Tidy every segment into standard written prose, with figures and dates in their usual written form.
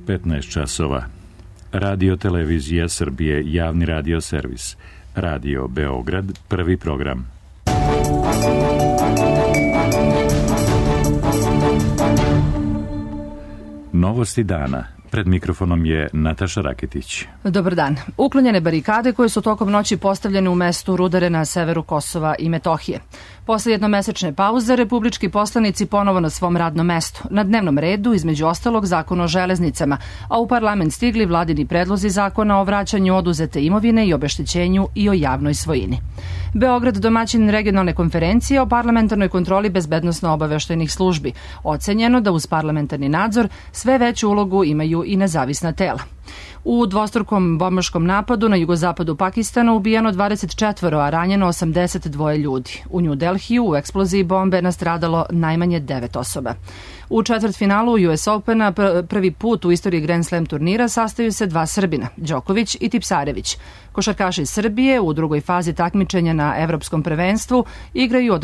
15 časova. Radio Televizija Srbije, javni radio servis. Radio Beograd, prvi program. Novosti dana. Pred mikrofonom je Nataša Raketić. Dobar dan. Uklonjene barikade koje su tokom noći postavljene u mestu Rudare na severu Kosova i Metohije. Posle jednomesečne pauze, republički poslanici ponovo na svom radnom mestu. Na dnevnom redu, između ostalog, zakon o železnicama, a u parlament stigli vladini predlozi zakona o vraćanju oduzete imovine i obeštećenju i o javnoj svojini. Beograd, domaćin regionalne konferencije o parlamentarnoj kontroli bezbednosno-obaveštajnih službi. Ocenjeno da uz parlamentarni nadzor sve veću ulogu imaju i nezavisna tela. U dvostrukom bombaškom napadu na jugozapadu Pakistana ubijeno 24, a ranjeno 82 ljudi. U New Delhiju u eksploziji bombe nastradalo najmanje 9 osoba. U četvrtfinalu US Opena prvi put u istoriji Grand Slam turnira sastaju se dva Srbina, Đoković i Tipsarević. Košarkaši Srbije u drugoj fazi takmičenja na Evropskom prvenstvu igraju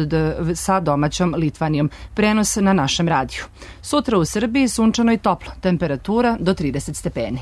sa domaćom Litvanijom. Prenos na našem radiju. Sutra u Srbiji sunčano i toplo, temperatura do 30 stepeni.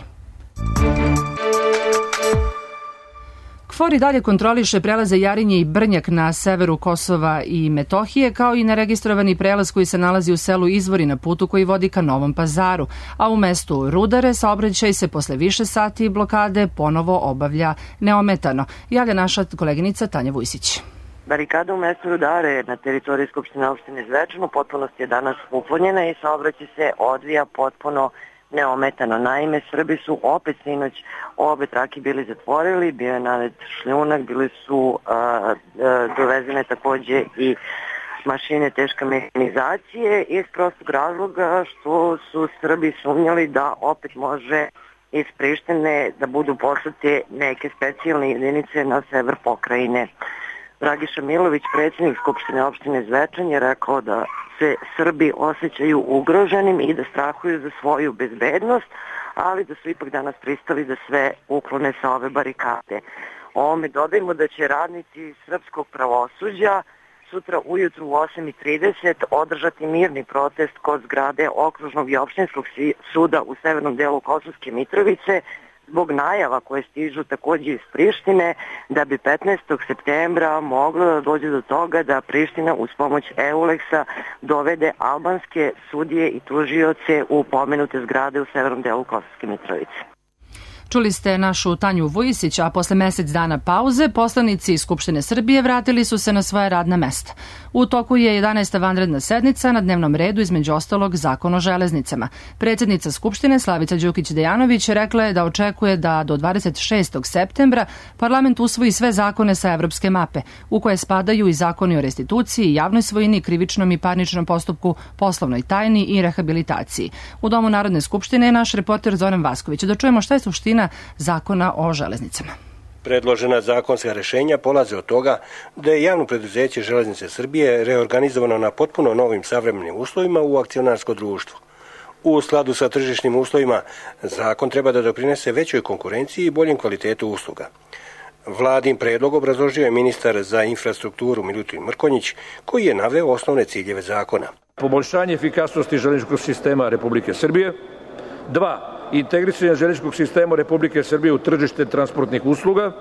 KFOR i dalje kontroliše prelaze Jarinje i Brnjak na severu Kosova i Metohije, kao i neregistrovani prelaz koji se nalazi u selu Izvori na putu koji vodi ka Novom Pazaru, a u mestu Rudare saobraćaj se posle više sati blokade ponovo obavlja neometano, javlja naša koleginica Tanja Vujsić. Barikada u mestu Rudare na teritoriji Skupštine opštine Zvečan u potpunosti je danas uklonjena i saobraćaj se odvija potpuno neometano. Naime, Srbi su opet sinoć obe trake bili zatvorili, bio je nanet šljunak, bili su dovezene takođe i mašine teške mehanizacije iz prostog razloga što su Srbi sumnjali da opet može iz Prištine da budu poslate neke specijalne jedinice na sever pokrajine. Dragiša Milović, predsjednik Skupštine opštine Zvečan, je rekao da se Srbi osjećaju ugroženim i da strahuju za svoju bezbednost, ali da su ipak danas pristali da sve uklone sa ove barikade. Ovome dodajmo da će radnici srpskog pravosuđa sutra ujutru u 8:30 održati mirni protest kod zgrade Okružnog i opštinskog suda u severnom delu Kosovske Mitrovice, zbog najava koje stižu takođe iz Prištine da bi 15. septembra moglo da dođe do toga da Priština uz pomoć EULEX-a dovede albanske sudije i tužioce u pomenute zgrade u severnom delu Kosovske Mitrovice. Čuli ste našu Tanju Vujsić, a posle mesec dana pauze poslanici iz Skupštine Srbije vratili su se na svoja radna mesta. U toku je 11. vanredna sednica, na dnevnom redu između ostalog zakon o železnicama. Predsjednica Skupštine Slavica Đukić-Dejanović rekla je da očekuje da do 26. septembra parlament usvoji sve zakone sa evropske mape, u koje spadaju i zakoni o restituciji, javnoj svojini, krivičnom i parničnom postupku, poslovnoj tajni i rehabilitaciji. U Domu Narodne skupštine je naš reporter Zoran Vasković. Da čujemo šta je suština zakona o železnicama. Predložena zakonska rešenja polaze od toga da je javno preduzeće Železnice Srbije reorganizovano na potpuno novim savremenim uslovima u akcionarsko društvo. U skladu sa tržišnim uslovima, zakon treba da doprinese većoj konkurenciji i boljem kvalitetu usluga. Vladin predlog obrazložio je ministar za infrastrukturu Milutin Mrkonjić, koji je naveo osnovne ciljeve zakona. Poboljšanje efikasnosti železničkog sistema Republike Srbije. 2. Integrisanje železničkog sistema Republike Srbije u tržište transportnih usluga.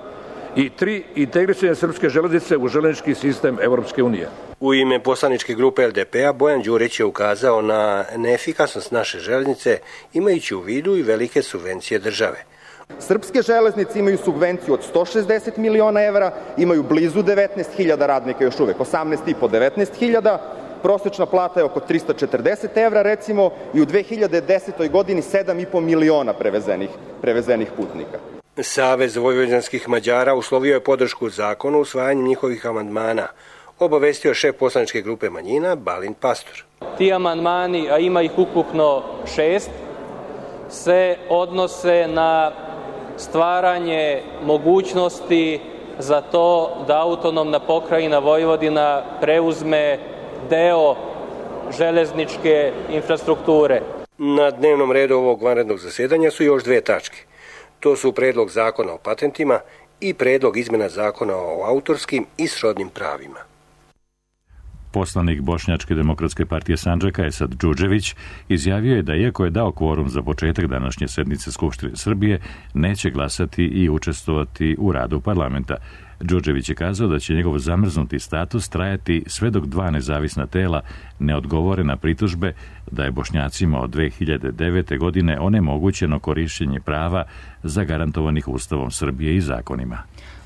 I 3. Integrisanje srpske železnice u železnički sistem Evropske unije. U ime poslaničke grupe LDP-a Bojan Đurić je ukazao na neefikasnost naše železnice, imajući u vidu i velike subvencije države. Srpske železnice imaju subvenciju od 160 miliona evra, imaju blizu 19.000 radnika još uvek, 18,5-19.000, prosečna plata je oko 340 evra recimo i u 2010. godini 7,5 miliona prevezenih putnika. Savez vojvođanskih Mađara uslovio je podršku zakonu usvajanjem njihovih amandmana, obavestio šef poslaničke grupe manjina Balint Pastor. Ti amandmani, a ima ih ukupno 6, se odnose na stvaranje mogućnosti za to da autonomna pokrajina Vojvodina preuzme deo železničke infrastrukture. Na dnevnom redu ovog vanrednog zasedanja su još dve tačke. To su predlog zakona o patentima i predlog izmena zakona o autorskim i srodnim pravima. Poslanik Bošnjačke demokratske partije Sandžaka Esad Džudžević izjavio je da iako je dao kvorum za početak današnje sednice Skupštine Srbije, neće glasati i učestvovati u radu parlamenta. Đurđević je kazao da će njegov zamrznuti status trajati sve dok dva nezavisna tela ne odgovore na pritužbe da je Bošnjacima od 2009. godine onemogućeno korišćenje prava zagarantovanih Ustavom Srbije i zakonima.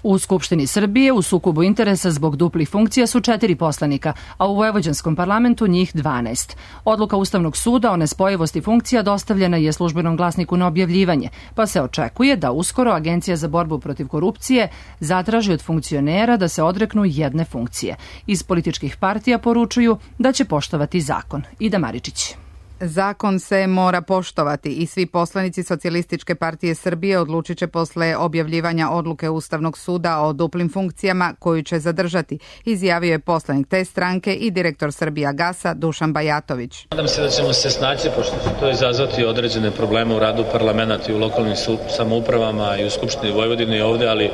U Skupštini Srbije u sukobu interesa zbog duplih funkcija su 4 poslanika, a u vojvođanskom parlamentu njih 12. Odluka Ustavnog suda o nespojivosti funkcija dostavljena je Službenom glasniku na objavljivanje, pa se očekuje da uskoro Agencija za borbu protiv korupcije zatraži od funkcionera da se odreknu jedne funkcije. Iz političkih partija poručuju da će poštovati zakon. Ida Maričić. Zakon se mora poštovati i svi poslanici Socijalističke partije Srbije odlučit će posle objavljivanja odluke Ustavnog suda o duplim funkcijama koju će zadržati, izjavio je poslanik te stranke i direktor Srbijagasa Dušan Bajatović. Nadam se da ćemo se snaći, pošto će to izazvati određene probleme u radu parlamenta i u lokalnim samoupravama i u Skupštini Vojvodine i ovde, ali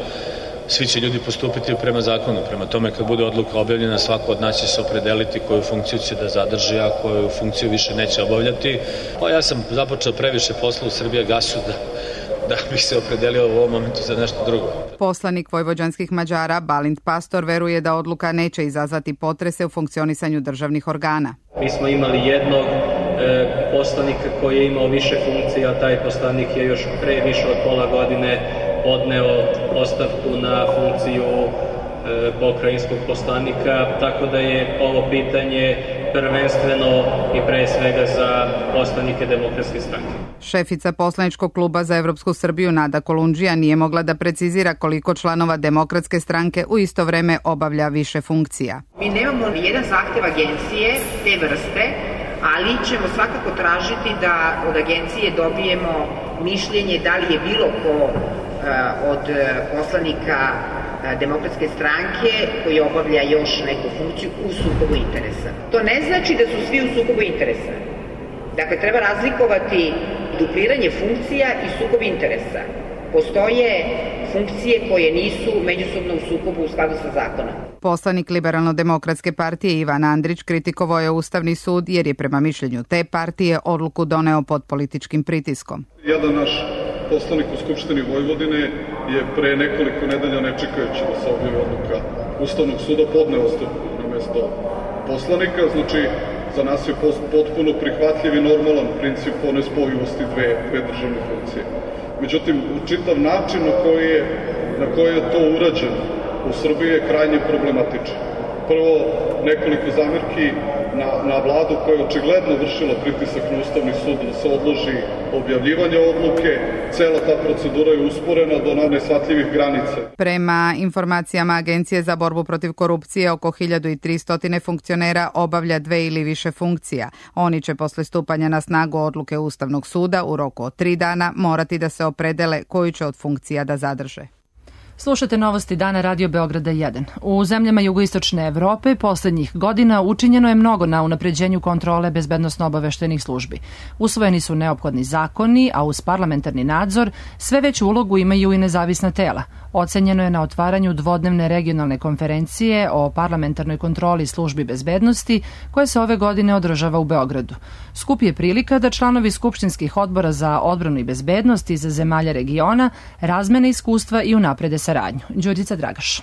svi će ljudi postupiti prema zakonu. Prema tome, kad bude odluka objavljena, svako od nas će se opredeliti koju funkciju će da zadrži, a koju funkciju više neće obavljati. Pa ja sam započeo previše posla u Srbijagasu da bih se opredelio u ovom momentu za nešto drugo. Poslanik vojvođanskih Mađara Balint Pastor veruje da odluka neće izazvati potrese u funkcionisanju državnih organa. Mi smo imali jednog poslanika koji je imao više funkcija, a taj poslanik je još pre više od pola godine podneo ostavku na funkciju pokrajinskog poslanika, tako da je ovo pitanje prvenstveno i pre svega za poslanike Demokratske stranke. Šefica poslaničkog kluba za Evropsku Srbiju Nada Kolundžija nije mogla da precizira koliko članova Demokratske stranke u isto vreme obavlja više funkcija. Mi nemamo ni jedan zahtev agencije te vrste, ali ćemo svakako tražiti da od agencije dobijemo mišljenje da li je bilo ko od poslanika Demokratske stranke koji obavlja još neku funkciju u sukobu interesa. To ne znači da su svi u sukobu interesa. Dakle, treba razlikovati dupliranje funkcija i sukob interesa. Postoje funkcije koje nisu međusobno u sukobu u skladu sa zakonom. Poslanik Liberalno-demokratske partije Ivan Andrić kritikovao je Ustavni sud jer je prema mišljenju te partije odluku doneo pod političkim pritiskom. Jedan naš poslanik u Skupštini Vojvodine je pre nekoliko nedelja, ne čekajući da se objavi odluka Ustavnog suda, podneo ostavku na mesto poslanika. Znači, za nas je potpuno prihvatljiv i normalan princip o nespojivosti dve državne funkcije. Međutim, čitav način na koji je to urađeno u Srbiji je krajnje problematičan. Prvo, nekoliko zamerki na vladu koja je očigledno vršila pritisak na Ustavni sud da se odloži objavljivanje odluke. Cela ta procedura je usporena do neshvatljivih granica. Prema informacijama Agencije za borbu protiv korupcije, oko 1300 funkcionera obavlja 2 ili više funkcija. Oni će posle stupanja na snagu odluke Ustavnog suda u roku od 3 dana morati da se opredele koju će od funkcija da zadrže. Slušate novosti dana Radio Beograda 1. U zemljama jugoistočne Evrope poslednjih godina učinjeno je mnogo na unapređenju kontrole bezbednosno-obaveštajnih službi. Usvojeni su neophodni zakoni, a uz parlamentarni nadzor sve veću ulogu imaju i nezavisna tela. Ocenjeno je na otvaranju dvodnevne regionalne konferencije o parlamentarnoj kontroli službi bezbednosti koja se ove godine održava u Beogradu. Skup je prilika da članovi skupštinskih odbora za odbranu i bezbednost iz zemalja regiona razmene iskustva i unaprede saradnju. Đurđica Dragaš.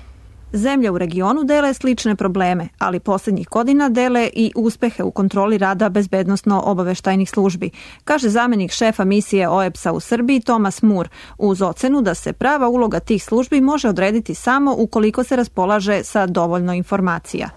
Zemlje u regionu dele slične probleme, ali poslednjih godina dele i uspehe u kontroli rada bezbednosno-obaveštajnih službi, kaže zamenik šefa misije OEBS-a u Srbiji Tomas Mur, uz ocenu da se prava uloga tih službi može odrediti samo ukoliko se raspolaže sa dovoljno informacija.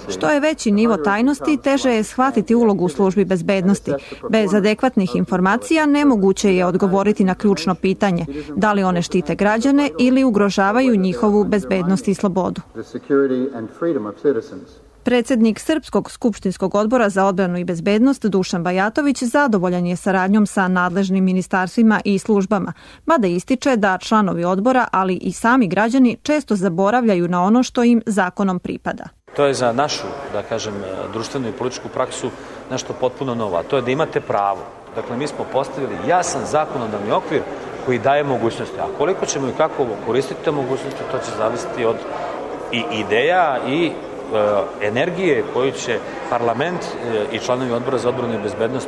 Što je veći nivo tajnosti, teže je shvatiti ulogu u službi bezbednosti. Bez adekvatnih informacija nemoguće je odgovoriti na ključno pitanje, da li one štite građane ili ugrožavaju njihovu bezbednost i slobodu. Predsednik Srpskog skupštinskog odbora za odbranu i bezbednost Dušan Bajatović zadovoljan je saradnjom sa nadležnim ministarstvima i službama, mada ističe da članovi odbora, ali i sami građani često zaboravljaju na ono što im zakonom pripada. To je za našu, da kažem, društvenu i političku praksu nešto potpuno novo, a to je da imate pravo. Dakle, mi smo postavili jasan zakonodavni okvir koji daje mogućnosti, a koliko ćemo i kako koristiti te mogućnosti, to će zavisiti od i ideja i energije koju će parlament i članovi odbora za odbranu i bezbednost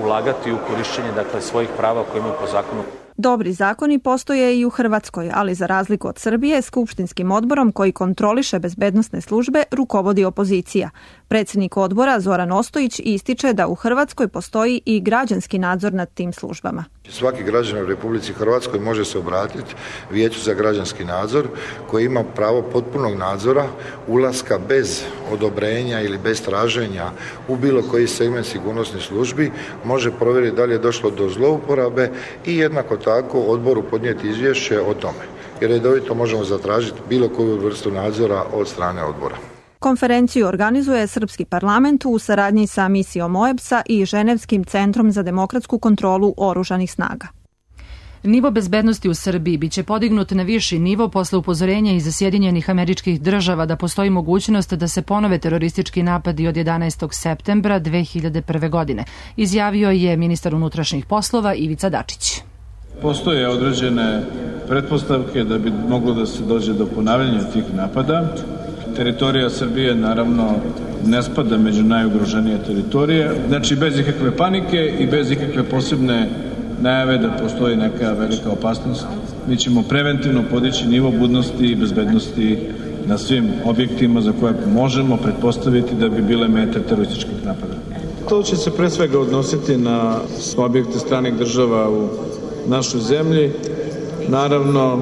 ulagati u korišćenje svojih prava koje imaju po zakonu. Dobri zakoni postoje i u Hrvatskoj, ali za razliku od Srbije, skupštinskim odborom koji kontroliše bezbednosne službe rukovodi opozicija. Predsjednik odbora Zoran Ostojić ističe da u Hrvatskoj postoji i građanski nadzor nad tim službama. Svaki građanin u Republici Hrvatskoj može se obratiti Vijeću za građanski nadzor koji ima pravo potpunog nadzora, ulaska bez odobrenja ili bez traženja u bilo koji segment sigurnosnih službi, može provjeriti da li je došlo do zlouporabe i jednako tako odboru podnijeti izvješće o tome. Jer redovito možemo zatražiti bilo koju vrstu nadzora od strane odbora. Konferenciju organizuje Srpski parlament u saradnji sa misijom OEBS-a i Ženevskim centrom za demokratsku kontrolu oružanih snaga. Nivo bezbednosti u Srbiji biće podignut na viši nivo posle upozorenja iz Sjedinjenih Američkih Država da postoji mogućnost da se ponove teroristički napadi od 11. septembra 2001. godine, izjavio je ministar unutrašnjih poslova Ivica Dačić. Postoje određene pretpostavke da bi moglo da se dođe do ponavljanja tih napada. Teritorija Srbije naravno ne spada među najugroženije teritorije. Znači bez ikakve panike i bez ikakve posebne najave da postoji neka velika opasnost. Mi ćemo preventivno podići nivo budnosti i bezbednosti na svim objektima za koje možemo pretpostaviti da bi bile mete terorističkih napada. To će se pre svega odnositi na objekte stranih država u našoj zemlji. Naravno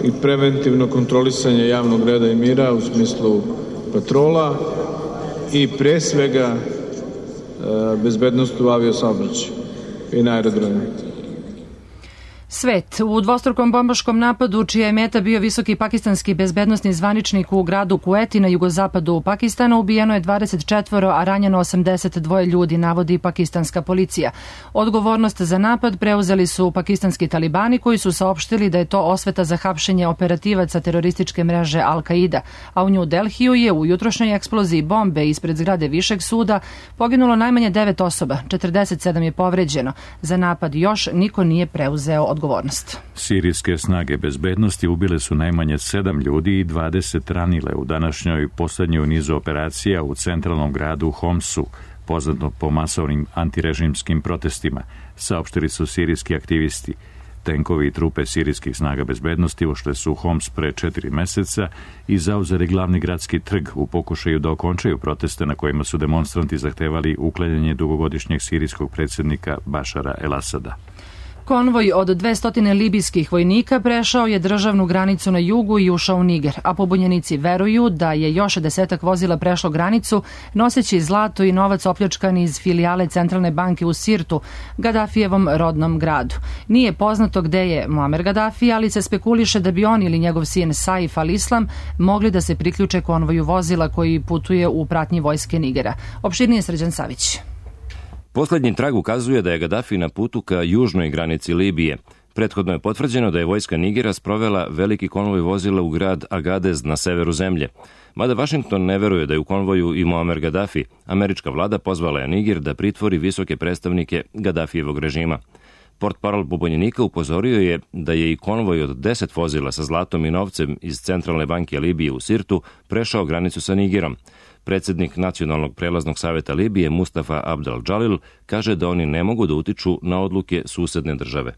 i preventivno kontrolisanje javnog reda i mira u smislu patrola i pre svega bezbednost u aviosaobraćaju i na aerodromu. Svet. U dvostrukom bombaškom napadu, čija je meta bio visoki pakistanski bezbednosni zvaničnik u gradu Kueti na jugozapadu Pakistana, ubijeno je 24, a ranjeno 82 ljudi, navodi pakistanska policija. Odgovornost za napad preuzeli su pakistanski talibani koji su saopštili da je to osveta za hapšenje operativaca terorističke mreže Al-Qaida, a u New Delhiju je u jutrošnjoj eksploziji bombe ispred zgrade Višeg suda poginulo najmanje 9 osoba, 47 je povređeno. Za napad još niko nije preuzeo odgovornost. Sirijske snage bezbednosti ubile su najmanje 7 ljudi i 20 ranile u današnjoj poslednjoj nizu operacija u centralnom gradu Homsu, poznato po masovnim antirežimskim protestima, saopštili su sirijski aktivisti. Tenkovi i trupe sirijskih snaga bezbednosti ušle su u Homs pre 4 meseca i zauzeli glavni gradski trg u pokušaju da okončaju proteste na kojima su demonstranti zahtevali uklanjanje dugogodišnjeg sirijskog predsjednika Bašara el-Asada. Konvoj od 200 libijskih vojnika prešao je državnu granicu na jugu i ušao u Niger, a pobunjenici veruju da je još 10 vozila prešlo granicu noseći zlato i novac opljačkan iz filijale Centralne banke u Sirtu, Gadafijevom rodnom gradu. Nije poznato gde je Muamer Gadafi, ali se spekuliše da bi on ili njegov sin Saif al-Islam mogli da se priključe konvoju vozila koji putuje u pratnji vojske Nigera. Opširnije Srđan Savić. Poslednji trag ukazuje da je Gadafi na putu ka južnoj granici Libije. Prethodno je potvrđeno da je vojska Nigera sprovela veliki konvoj vozila u grad Agadez na severu zemlje. Mada Vašington ne veruje da je u konvoju i Muamer Gadafi, američka vlada pozvala je Niger da pritvori visoke predstavnike Gadafijevog režima. Portparol pobunjenika upozorio je da je i konvoj od 10 vozila sa zlatom i novcem iz Centralne banke Libije u Sirtu prešao granicu sa Nigerom. Predsjednik Nacionalnog prelaznog savjeta Libije Mustafa Abdel Džalil kaže da oni ne mogu da utiču na odluke susedne države.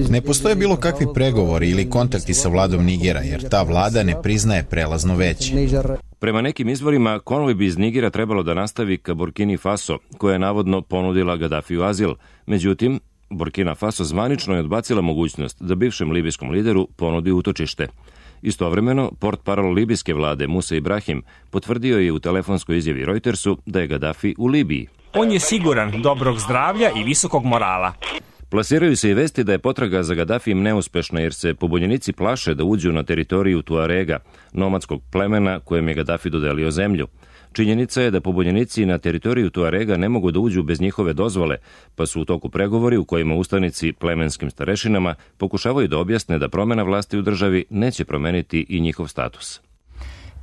Ne postoje bilo kakvi pregovori ili kontakti sa vladom Nigera, jer ta vlada ne priznaje prelazno veće. Prema nekim izvorima, konvoj bi iz Nigera trebalo da nastavi ka Burkini Faso, koja je navodno ponudila Gadafiju azil. Međutim, Burkina Faso zvanično je odbacila mogućnost da bivšem libijskom lideru ponudi utočište. Istovremeno, portparol libijske vlade Musa Ibrahim potvrdio je u telefonskoj izjavi Reutersu da je Gadafi u Libiji. On je siguran, dobrog zdravlja i visokog morala. Plasiraju se i vesti da je potraga za Gadafijem neuspešna jer se pobunjenici plaše da uđu na teritoriju Tuarega, nomadskog plemena kojem je Gadafi dodelio zemlju. Činjenica je da pobunjenici na teritoriju Tuarega ne mogu da uđu bez njihove dozvole, pa su u toku pregovori u kojima ustanici plemenskim starešinama pokušavaju da objasne da promena vlasti u državi neće promeniti i njihov status.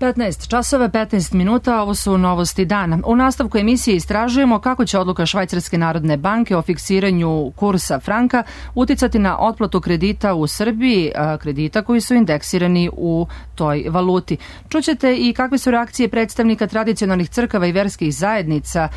15 časova, 15 minuta, ovo su novosti dana. U nastavku emisije istražujemo kako će odluka Švajcarske narodne banke o fiksiranju kursa franka uticati na otplatu kredita u Srbiji, kredita koji su indeksirani u toj valuti. Čućete i kakve su reakcije predstavnika tradicionalnih crkava i verskih zajednica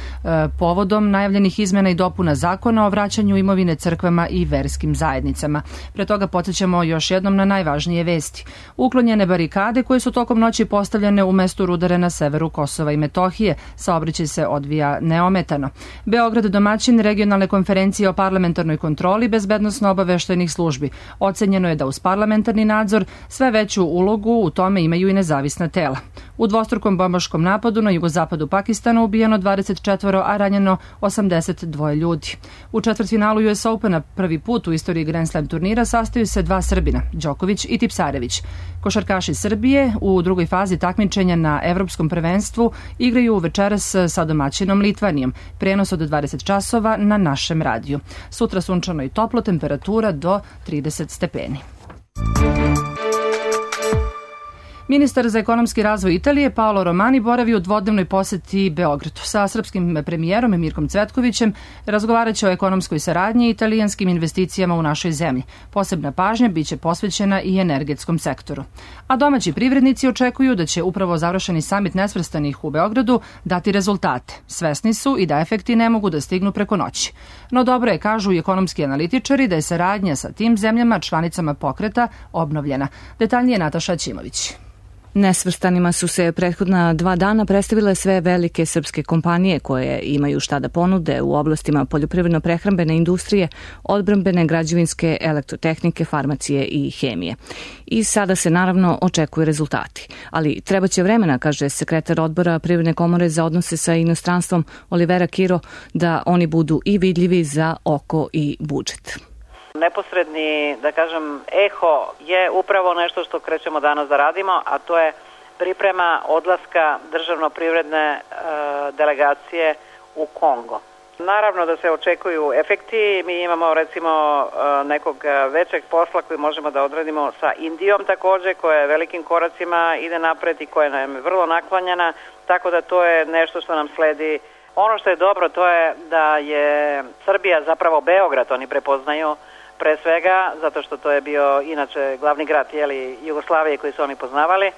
povodom najavljenih izmena i dopuna zakona o vraćanju imovine crkvama i verskim zajednicama. Pre toga podsjećamo još jednom na najvažnije vesti. Uklonjene barikade koje su tokom noći postavljene u mestu Rudare na severu Kosova i Metohije. Saobraćaj se odvija neometano. Beograd domaćin regionalne konferencije o parlamentarnoj kontroli bezbednosno-obaveštajnih službi. Ocenjeno je da uz parlamentarni nadzor sve veću ulogu u tome imaju i nezavisna tela. U dvostrukom bombaškom napadu na jugozapadu Pakistana ubijeno 24, a ranjeno 82 ljudi. U četvrtfinalu US Opena prvi put u istoriji Grand Slam turnira sastaju se dva Srbina, Đoković i Tipsarević. Košarkaši Srbije u drugoj fazi takmičenja na Evropskom prvenstvu igraju večeras sa domaćinom Litvanijom. Prenos od 20 časova na našem radiju. Sutra sunčano i toplo, temperatura do 30 stepeni. Ministar za ekonomski razvoj Italije Paolo Romani boravi u dvodnevnoj poseti Beogradu. Sa srpskim premijerom Mirkom Cvetkovićem razgovarat će o ekonomskoj saradnji i italijanskim investicijama u našoj zemlji. Posebna pažnja biće posvećena i energetskom sektoru. A domaći privrednici očekuju da će upravo završeni samit nesvrstanih u Beogradu dati rezultate. Svesni su i da efekti ne mogu da stignu preko noći. No dobro je, kažu i ekonomski analitičari, da je saradnja sa tim zemljama članicama pokreta obnovljena. Detaljnije Nataša Ćimović. Nesvrstanima su se prethodna 2 dana predstavile sve velike srpske kompanije koje imaju šta da ponude u oblastima poljoprivredno-prehrambene industrije, odbrambene, građevinske, elektrotehnike, farmacije i hemije. I sada se naravno očekuju rezultati. Ali trebaće vremena, kaže sekretar odbora Privredne komore za odnose sa inostranstvom Olivera Kiro, da oni budu i vidljivi za oko i budžet. Neposredni, da kažem, eho je upravo nešto što krećemo danas da radimo, a to je priprema odlaska državno-privredne delegacije u Kongo. Naravno da se očekuju efekti, mi imamo recimo nekog većeg posla koji možemo da odradimo sa Indijom takođe, koja je velikim koracima ide napred i koja nam je vrlo naklonjena, tako da to je nešto što nam sledi. Ono što je dobro to je da je Srbija zapravo Beograd, oni prepoznaju, pre svega, zato što to je bio inače glavni grad Jugoslavije koji su oni poznavali,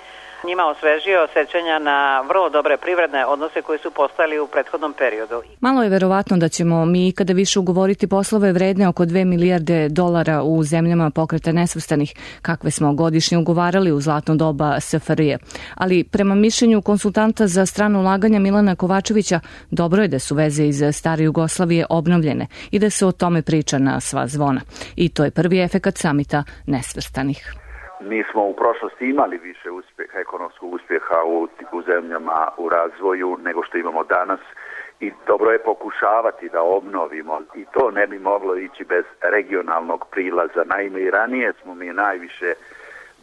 njima osvežio sećanja na vrlo dobre privredne odnose koji su postojali u prethodnom periodu. Malo je verovatno da ćemo mi ikada više ugovoriti poslove vredne oko 2 milijarde dolara u zemljama pokreta nesvrstanih, kakve smo godišnje ugovarali u zlatno doba SFRJ. Ali prema mišljenju konsultanta za strano ulaganja Milana Kovačevića, dobro je da su veze iz stare Jugoslavije obnovljene i da se o tome priča na sva zvona. I to je prvi efekat samita nesvrstanih. Mi smo u prošlosti imali više ekonomskog uspjeha u zemljama u razvoju nego što imamo danas i dobro je pokušavati da obnovimo i to ne bi moglo ići bez regionalnog prilaza. Naime, i ranije smo mi najviše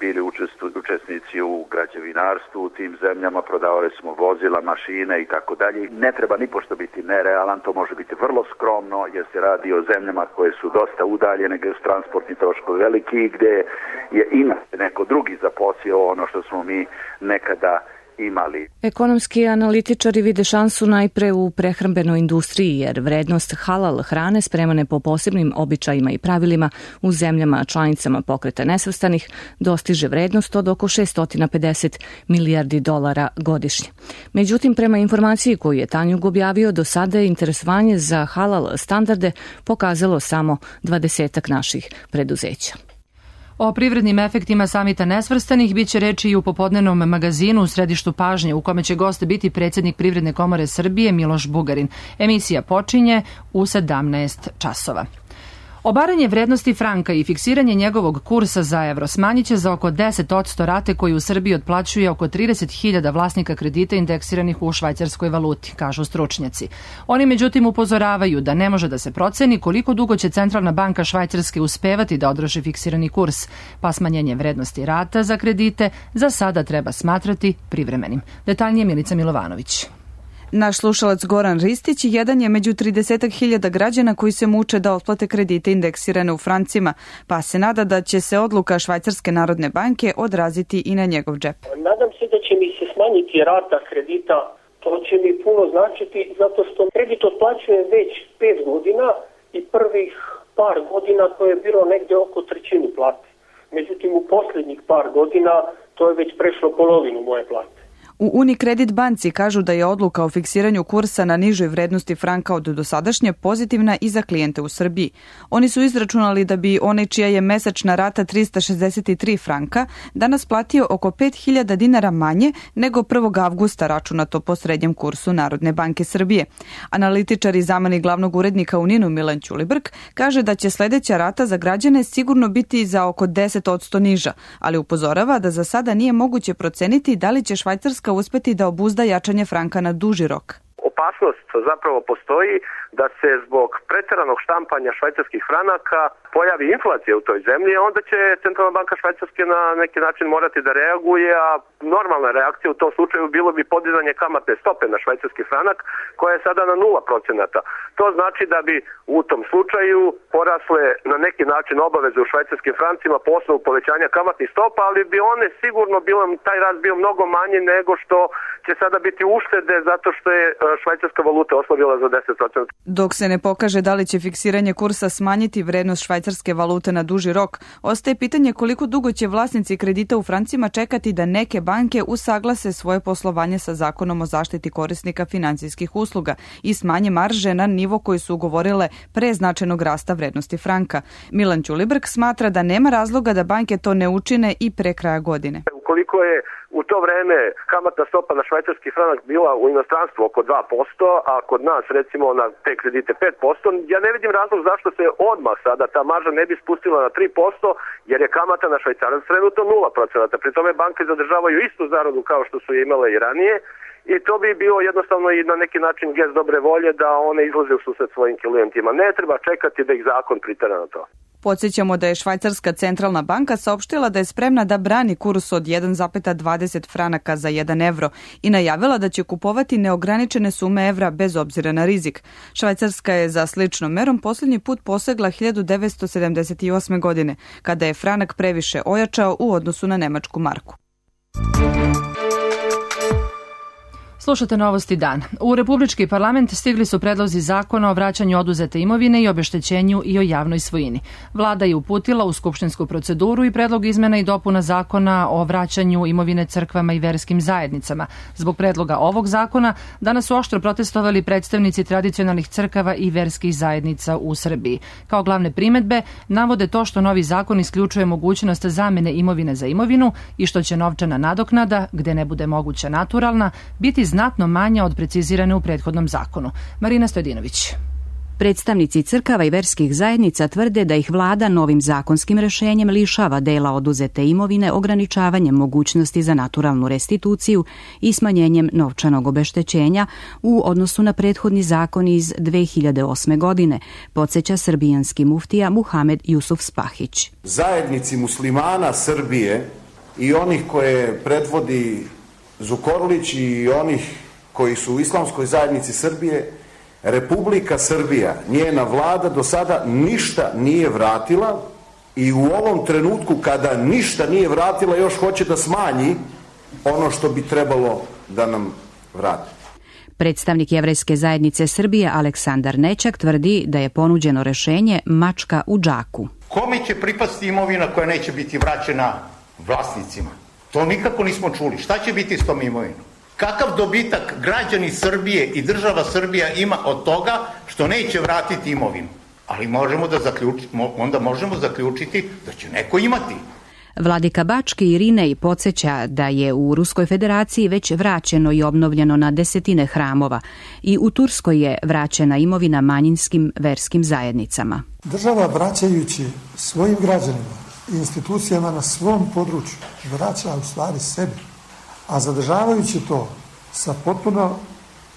bili učesnici u građevinarstvu u tim zemljama, prodavali smo vozila, mašine i tako dalje. Ne treba ni pošto biti nerealan, to može biti vrlo skromno jer se radi o zemljama koje su dosta udaljene, gdje su transportni troškovi veliki i gdje je neko drugi zaposlio ono što smo mi nekada imali. Ekonomski analitičari vide šansu najpre u prehrambenoj industriji, jer vrednost halal hrane spremane po posebnim običajima i pravilima u zemljama članicama pokreta nesvrstanih dostiže vrednost od oko 650 milijardi dolara godišnje. Međutim, prema informaciji koju je Tanjug objavio, do sada je interesovanje za halal standarde pokazalo samo 20 naših preduzeća. O privrednim efektima samita nesvrstanih biće reči i u popodnevnom magazinu u središtu pažnje, u kome će gost biti predsjednik Privredne komore Srbije Miloš Bugarin. Emisija počinje u 17 časova. Obaranje vrednosti franka i fiksiranje njegovog kursa za evro smanjit će za oko 10% rate koju u Srbiji otplaćuje oko 30.000 vlasnika kredita indeksiranih u švajcarskoj valuti, kažu stručnjaci. Oni međutim upozoravaju da ne može da se proceni koliko dugo će Centralna banka Švajcarske uspevati da održi fiksirani kurs, pa smanjenje vrednosti rata za kredite za sada treba smatrati privremenim. Detaljnije Milica Milovanović. Naš slušalac Goran Ristić jedan je među 30.000 građana koji se muče da otplate kredite indeksirane u francima, pa se nada da će se odluka Švajcarske narodne banke odraziti i na njegov džep. Nadam se da će mi se smanjiti rata kredita, to će mi puno značiti zato što kredit otplaćujem već 5 godina i prvih par godina to je bilo negde oko trećinu plate. Međutim, u posljednjih par godina to je već prešlo polovinu moje plate. U Unicredit banci kažu da je odluka o fiksiranju kursa na nižoj vrednosti franka od dosadašnje pozitivna i za klijente u Srbiji. Oni su izračunali da bi onaj čija je mesečna rata 363 franka danas platio oko 5.000 dinara manje nego 1. avgusta računato po srednjem kursu Narodne banke Srbije. Analitičar i zamenik glavnog urednika u NIN-u Milan Ćulibrk kaže da će sledeća rata za građane sigurno biti za oko 10% niža, ali upozorava da za sada nije moguće proceniti da li će Švajcarska uspeti da obuzda jačanje franka na duži rok. Opasnost zapravo postoji da se zbog preteranog štampanja švajcarskih franaka pojavi inflacija u toj zemlji, onda će Centralna banka Švajcarske na neki način morati da reaguje, a normalna reakcija u tom slučaju bilo bi podizanje kamatne stope na švajcarski franak, koja je sada na 0%. To znači da bi u tom slučaju porasle na neki način obaveze u švajcarskim francima po osnovu povećanja kamatnih stopa, ali bi one sigurno taj rast bio mnogo manji nego što će sada biti uštede zato što je švajcarska valuta oslabila za 10%. Dok se ne pokaže da li će fiksiranje kursa smanjiti vrednost švajcarske valute na duži rok, ostaje pitanje koliko dugo će vlasnici kredita u francima čekati da neke banke usaglase svoje poslovanje sa Zakonom o zaštiti korisnika finansijskih usluga i smanje marže na nivo koji su ugovorile pre značajnog rasta vrednosti franka. Milan Ćulibrk smatra da nema razloga da banke to ne učine i pre kraja godine. Ukoliko je u to vreme kamatna stopa na švajcarski franak bila u inostranstvu oko 2%, a kod nas recimo na te kredite 5%, ja ne vidim razlog zašto se odmah sada ta marža ne bi spustila na 3%, jer je kamata na švajcarac trenutno 0%. Pri tome banke zadržavaju istu zaradu kao što su je imale i ranije i to bi bio jednostavno i na neki način gest dobre volje da one izlaze u susret svojim klijentima. Ne treba čekati da ih zakon pritera na to. Podsjećamo da je Švajcarska centralna banka saopštila da je spremna da brani kurs od 1,20 franaka za 1 evro i najavila da će kupovati neograničene sume evra bez obzira na rizik. Švajcarska je za sličnom merom posljednji put posegla 1978. godine, kada je franak previše ojačao u odnosu na nemačku marku. Slušate Novosti dan. U Republički parlament stigli su predlozi zakona o vraćanju oduzete imovine i obeštećenju i o javnoj svojini. Vlada je uputila u skupštinsku proceduru i predlog izmena i dopuna zakona o vraćanju imovine crkvama i verskim zajednicama. Zbog predloga ovog zakona danas su oštro protestovali predstavnici tradicionalnih crkava i verskih zajednica u Srbiji. Kao glavne primedbe navode to što novi zakon isključuje mogućnost zamene imovine za imovinu i što će novčana nadoknada, gde ne bude moguća naturalna, biti znatno manja od precizirane u prethodnom zakonu. Marina Stojadinović. Predstavnici crkava i verskih zajednica tvrde da ih vlada novim zakonskim rešenjem lišava dela oduzete imovine ograničavanjem mogućnosti za naturalnu restituciju i smanjenjem novčanog obeštećenja u odnosu na prethodni zakon iz 2008. godine, podsjeća srbijanski muftija Muhamed Jusuf Spahić. Zajednici muslimana Srbije i onih koje predvodi Zukorlić i onih koji su u islamskoj zajednici Srbije, Republika Srbija, njena vlada do sada ništa nije vratila i u ovom trenutku kada ništa nije vratila još hoće da smanji ono što bi trebalo da nam vrati. Predstavnik Jevrejske zajednice Srbije Aleksandar Nećak tvrdi da je ponuđeno rešenje mačka u džaku. Kome će pripasti imovina koja neće biti vraćena vlasnicima? To nikako nismo čuli. Šta će biti s tom imovinom? Kakav dobitak građani Srbije i država Srbija ima od toga što neće vratiti imovinu? Ali onda možemo zaključiti da će neko imati. Vladika Bački Irinej podsjeća da je u Ruskoj federaciji već vraćeno i obnovljeno na desetine hramova i u Turskoj je vraćena imovina manjinskim verskim zajednicama. Država vraćajući svojim građanima i institucijama na svom području vraća u stvari sebi, a zadržavajući to sa potpuno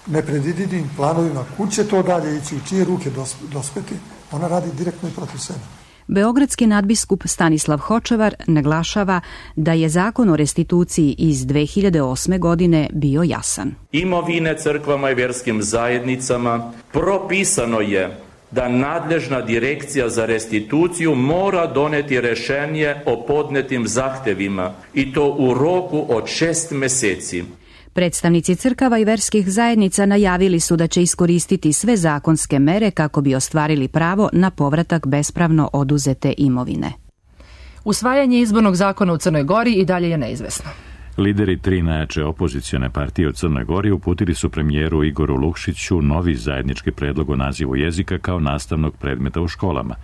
nepredvidivim planovima kud će to dalje ići, u čije ruke dospeti, ona radi direktno i protiv sebe. Beogradski nadbiskup Stanislav Hočevar naglašava da je zakon o restituciji iz 2008. godine bio jasan. Imovine crkvama i vjerskim zajednicama propisano je da nadležna direkcija za restituciju mora doneti rešenje o podnetim zahtevima i to u roku od 6 meseci. Predstavnici crkava i verskih zajednica najavili su da će iskoristiti sve zakonske mere kako bi ostvarili pravo na povratak bespravno oduzete imovine. Usvajanje izbornog zakona u Crnoj Gori i dalje je neizvesno. Lideri 3 najjače opozicione partije u Crnoj Gori uputili su premijeru Igoru Lukšiću novi zajednički predlog o nazivu jezika kao nastavnog predmeta u školama.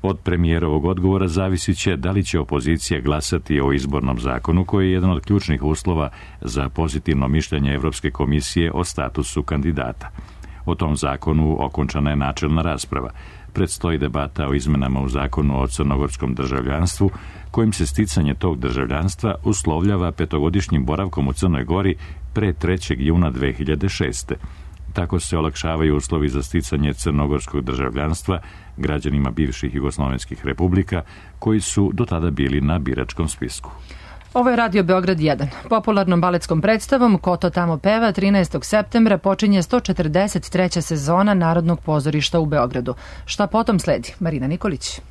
Od premijerovog odgovora zavisit će da li će opozicija glasati o izbornom zakonu koji je jedan od ključnih uslova za pozitivno mišljenje Evropske komisije o statusu kandidata. O tom zakonu okončana je načelna rasprava. Predstoji debata o izmenama u zakonu o crnogorskom državljanstvu, kojim se sticanje tog državljanstva uslovljava 5-godišnjim boravkom u Crnoj Gori pre 3. juna 2006. Tako se olakšavaju uslovi za sticanje crnogorskog državljanstva građanima bivših jugoslovenskih republika koji su do tada bili na biračkom spisku. Ovo je Radio Beograd 1. Popularnom baletskom predstavom Ko to tamo peva 13. septembra počinje 143. sezona Narodnog pozorišta u Beogradu. Šta potom sledi? Marina Nikolić.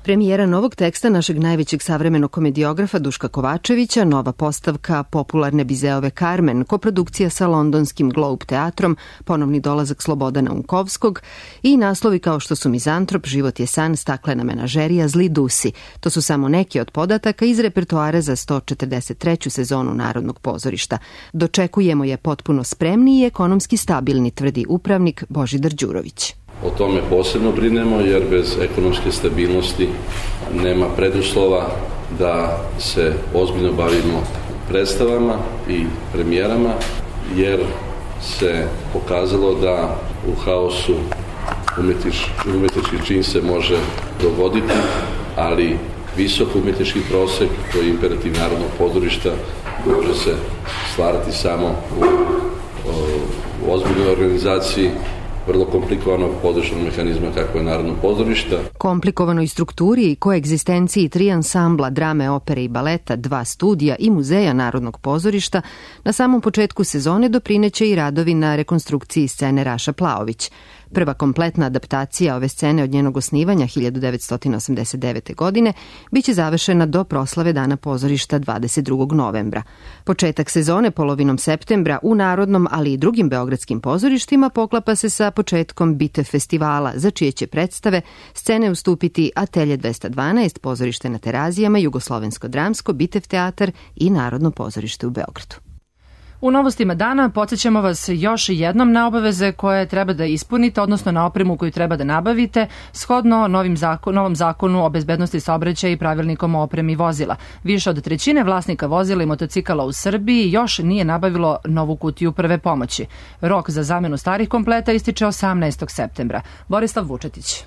Premijera novog teksta našeg najvećeg savremenog komediografa Duška Kovačevića, nova postavka popularne Bizeove Carmen, koprodukcija sa londonskim Globe teatrom, ponovni dolazak Slobodana Unkovskog i naslovi kao što su Mizantrop, Život je san, Staklena menažerija, Zli dusi. To su samo neki od podataka iz repertoara za 143. sezonu Narodnog pozorišta. Dočekujemo je potpuno spremni i ekonomski stabilni, tvrdi upravnik Božidar Đurović. O tome posebno brinemo jer bez ekonomske stabilnosti nema preduslova da se ozbiljno bavimo predstavama i premijerama jer se pokazalo da u haosu umjetnički čin se može dogoditi, ali visok umjetnički prosek koji je imperativ Narodnog pozorišta može se stvarati samo u ozbiljnoj organizaciji vrlo komplikovanog područnog mehanizma kako je Narodno pozorišta. Komplikovanoj strukturi i koegzistenciji 3 ansambla drame, opere i baleta, 2 studija i muzeja Narodnog pozorišta na samom početku sezone doprineće i radovi na rekonstrukciji scene Raša Plaović. Prva kompletna adaptacija ove scene od njenog osnivanja 1989. godine biće završena do proslave Dana pozorišta 22. novembra. Početak sezone polovinom septembra u Narodnom, ali i drugim beogradskim pozorištima poklapa se sa početkom Bitev festivala, za čije će predstave scene ustupiti Atelje 212, pozorište na Terazijama, Jugoslovensko-dramsko, Bitev teatar i Narodno pozorište u Beogradu. U novostima dana podsjećamo vas još jednom na obaveze koje treba da ispunite, odnosno na opremu koju treba da nabavite, shodno novom zakonu o bezbednosti saobraćaja i pravilnikom o opremi vozila. Više od 1/3 vlasnika vozila i motocikala u Srbiji još nije nabavilo novu kutiju prve pomoći. Rok za zamenu starih kompleta ističe 18. septembra. Borislav Vučetić.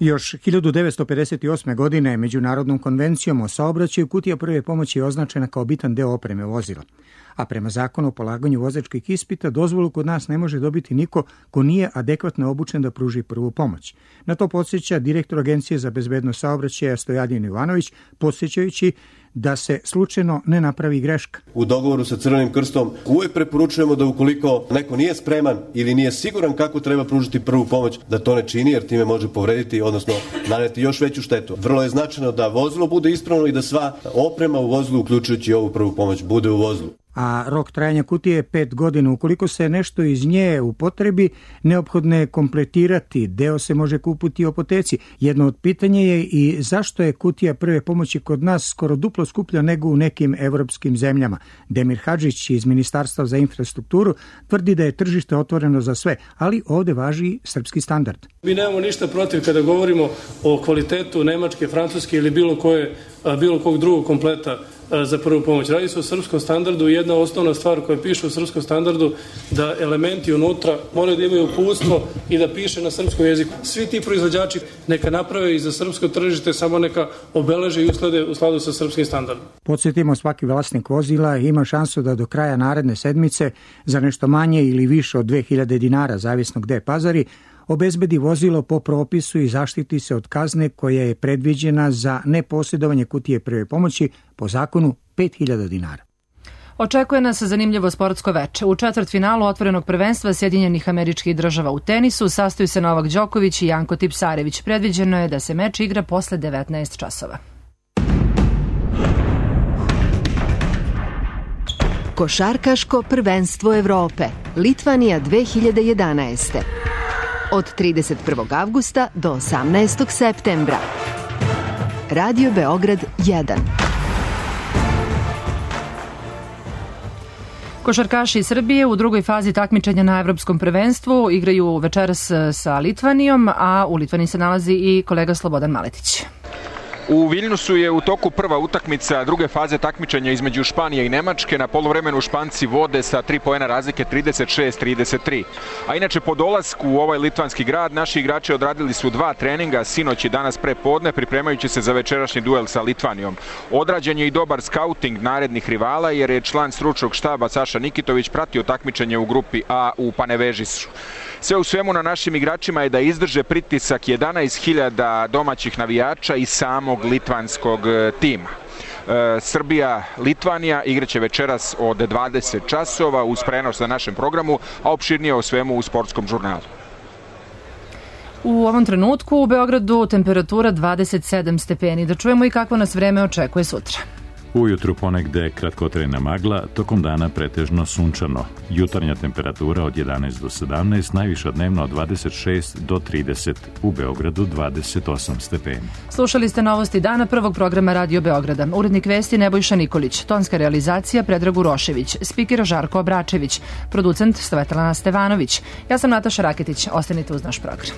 Još 1958. godine Međunarodnom konvencijom o saobraćaju kutija prve pomoći je označena kao bitan deo opreme vozila. A prema zakonu o polaganju vozačkih ispita dozvolu kod nas ne može dobiti niko ko nije adekvatno obučen da pruži prvu pomoć. Na to podsjeća direktor Agencije za bezbednost saobraćaja Stojadin Ivanović, podsjećajući da se slučajno ne napravi greška. U dogovoru sa Crvenim krstom uvek preporučujemo da ukoliko neko nije spreman ili nije siguran kako treba pružiti prvu pomoć, da to ne čini jer time može povrediti, odnosno naneti još veću štetu. Vrlo je značajno da vozilo bude ispravno i da sva oprema u vozilu, uključujući ovu prvu pomoć, bude u vozilu. A rok trajanja kutije je 5 godina. Ukoliko se nešto iz nje upotrebi, neophodno je kompletirati. Deo se može kupiti u apoteci. Jedno od pitanja je i zašto je kutija prve pomoći kod nas skoro duplo skuplja nego u nekim evropskim zemljama. Demir Hadžić iz Ministarstva za infrastrukturu tvrdi da je tržište otvoreno za sve, ali ovde važi srpski standard. Mi nemamo ništa protiv kada govorimo o kvalitetu nemačke, francuske ili bilo kog drugog kompleta za prvu pomoć. Radi se o srpskom standardu i jedna osnovna stvar koja piše u srpskom standardu da elementi unutra moraju da imaju uputstvo i da piše na srpskom jeziku. Svi ti proizvođači neka naprave i za srpsko tržište, samo neka obeleže i usklade u skladu sa srpskim standardom. Podsjetimo, svaki vlasnik vozila ima šansu da do kraja naredne sedmice za nešto manje ili više od 2000 dinara, zavisno gde pazari, obezbedi vozilo po propisu i zaštiti se od kazne koja je predviđena za neposjedovanje kutije prve pomoći po zakonu 5000 dinara. Očekuje nas zanimljivo sportsko veče. U četvrtfinalu otvorenog prvenstva Sjedinjenih Američkih Država u tenisu sastaju se Novak Đoković i Janko Tipsarević. Predviđeno je da se meč igra posle 19 časova. Košarkaško prvenstvo Evrope, Litvanija 2011. Od 31. avgusta do 18. septembra. Radio Beograd 1. Košarkaši Srbije u drugoj fazi takmičenja na Evropskom prvenstvu igraju večeras sa Litvanijom, a u Litvaniji se nalazi i kolega Slobodan Maletić. U Viljnusu je u toku prva utakmica druge faze takmičenja između Španije i Nemačke. Na poluvremenu Španci vode sa 3 poena razlike 36-33. A inače po dolasku u ovaj litvanski grad naši igrači odradili su 2 treninga sinoć i danas pre podne pripremajući se za večerašnji duel sa Litvanijom. Odrađen je i dobar skauting narednih rivala jer je član stručnog štaba Saša Nikitović pratio takmičenje u grupi A u Panevežisu. Sve u svemu na našim igračima je da izdrže pritisak 11.000 domaćih navijača i samog litvanskog tima. Srbija-Litvanija igraće večeras od 20 časova uz prenos na našem programu, a opširnije o svemu u sportskom žurnalu. U ovom trenutku u Beogradu temperatura 27 stepeni. Da čujemo i kako nas vreme očekuje sutra. Ujutru ponegde kratkotrajna magla, tokom dana pretežno sunčano. Jutarnja temperatura od 11 do 17, najviša dnevno od 26 do 30, u Beogradu 28 stepeni. Slušali ste novosti dana prvog programa Radio Beograda. Urednik vesti Nebojša Nikolić, tonska realizacija Predrag Urošević, spiker Žarko Obračević, producent Svetlana Stevanović. Ja sam Nataša Raketić, ostanite uz naš program.